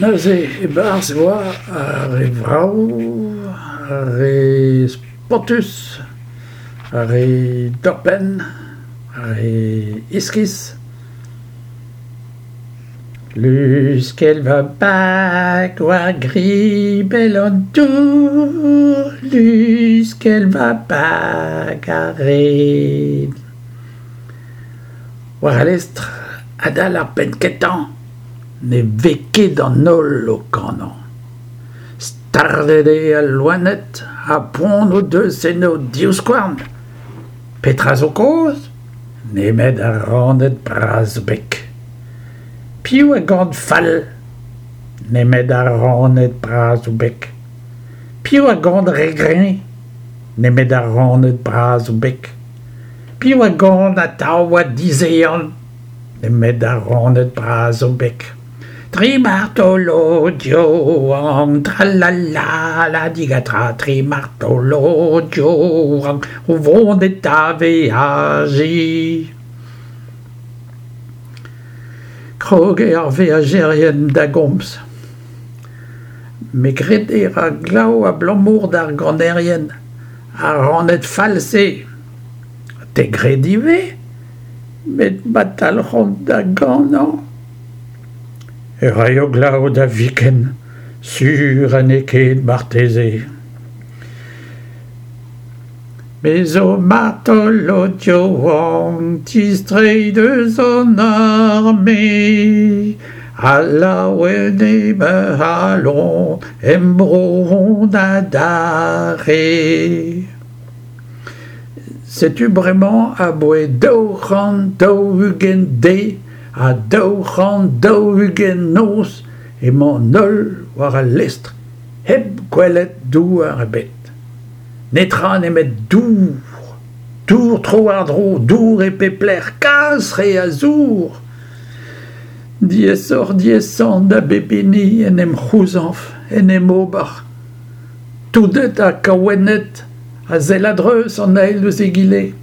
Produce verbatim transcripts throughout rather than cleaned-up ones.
Neuze e-barzh e oa ar re vrav, ar re spontus, ar re torr-penn, ar re iskis. Luskell va bag war gribell an dour, luskell va bag a red. War al lestr adal ar penn-kentañ ne vez ket an holl o kanañ. Stardet eo al loened ha poan o deus en o divskouarn. Petra zo kaoz ? Nemet ar raned bras o beg. Piv a gan fall ? Nemet ar raned bras o beg. Piv a gan re greñv ? Nemet ar raned bras o beg. Piv a gan atav ha dizehan ? Nemet ar raned bras o beg. Tri martolod yaouank tra la la la diga tra, tri martolod yaouank o vonet da veajiñ. Krog eo ar veajerien da gomz. Me 'gred e ra glav abalamour d'ar ganerien, ar raned fall-se. Te 'gred ivez ? Met ma talc'hont da ganañ e raio glav da viken, sur ha n'eo ket marteze. Me zo martolod yaouank 'tistreiñ deus an arme ha laouen eo ma c'halon em bro on adarre. Setu bremañ abaoe daou c'hant daou-ugent deiz ha daou c'hant daou-ugent noz emañ an holl war al lestr hep gwelet douar ebet. Netra nemet dour, dour tro-war-dro, dour e pep lec'h, kalz re a zour. Diaesoc'h-diaesañ da bep hini en em c'houzañv, en em ober. Touded ha kaouenned a sell a-dreuz an eil ouzh egile.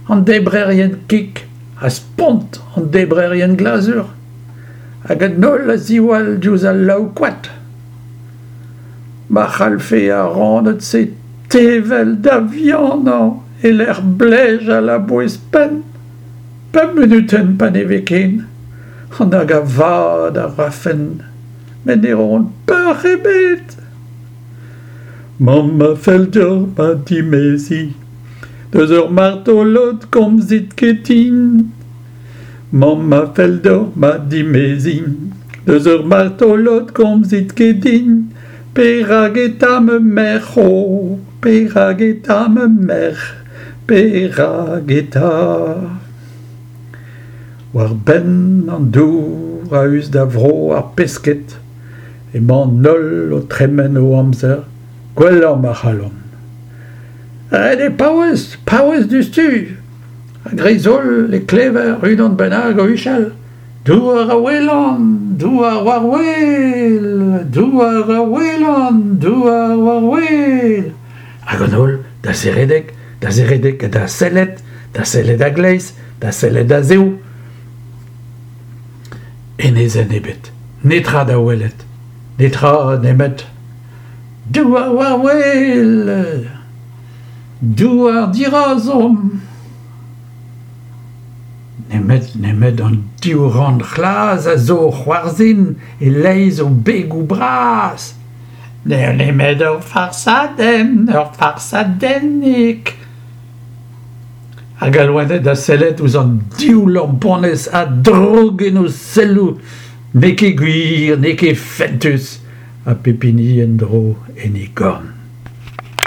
An debrerien kig a spont an debrerien glazur hag an holl a ziwall diouzh al laou-koad. Ma c'hallfe ar raned-se tevel da vihanañ e-lec'h blejal a-bouez-penn, pemp munutenn paneveken, nag a vad a rafent, met ne roont peoc'h ebet. Mamm a fell deoc'h ma dimeziñ, deus ur martolod 'komzit ket din. Mamm a fell deoc'h ma dimeziñ, deus ur martolod 'komzit ket din. Perak eta ma merc'h, oh, perak eta ma merc'h, perak eta ? War benn an dour a-us da vro ar pesked emañ an holl o tremen o amzer gwellañ ma c'hallont. Ret eo paouez, paouez diouzhtu ! A-greiz-holl e klever unan bennak o huchal. Douar a welan, douar war wel, douar a welan, douar war wel. Hag an holl da zeredek, da zeredek ha da sellet, da sellet a-gleiz, da sellet a-zehou. Enezenn ebet, netra da welet, netra nemet douar war wel, douar dirazomp. Nemet, nemet an div ran c'hlas a zo o c'hoarzhin e-leizh o begoù bras. N'eo nemet ur farsadenn, ur farsadennig. Hag al loened da sellet ouzh an div lamponez ha droug en o selloù. N'eo ket gwir, n'eo ket fentus, ha pep hini en-dro en e gorn.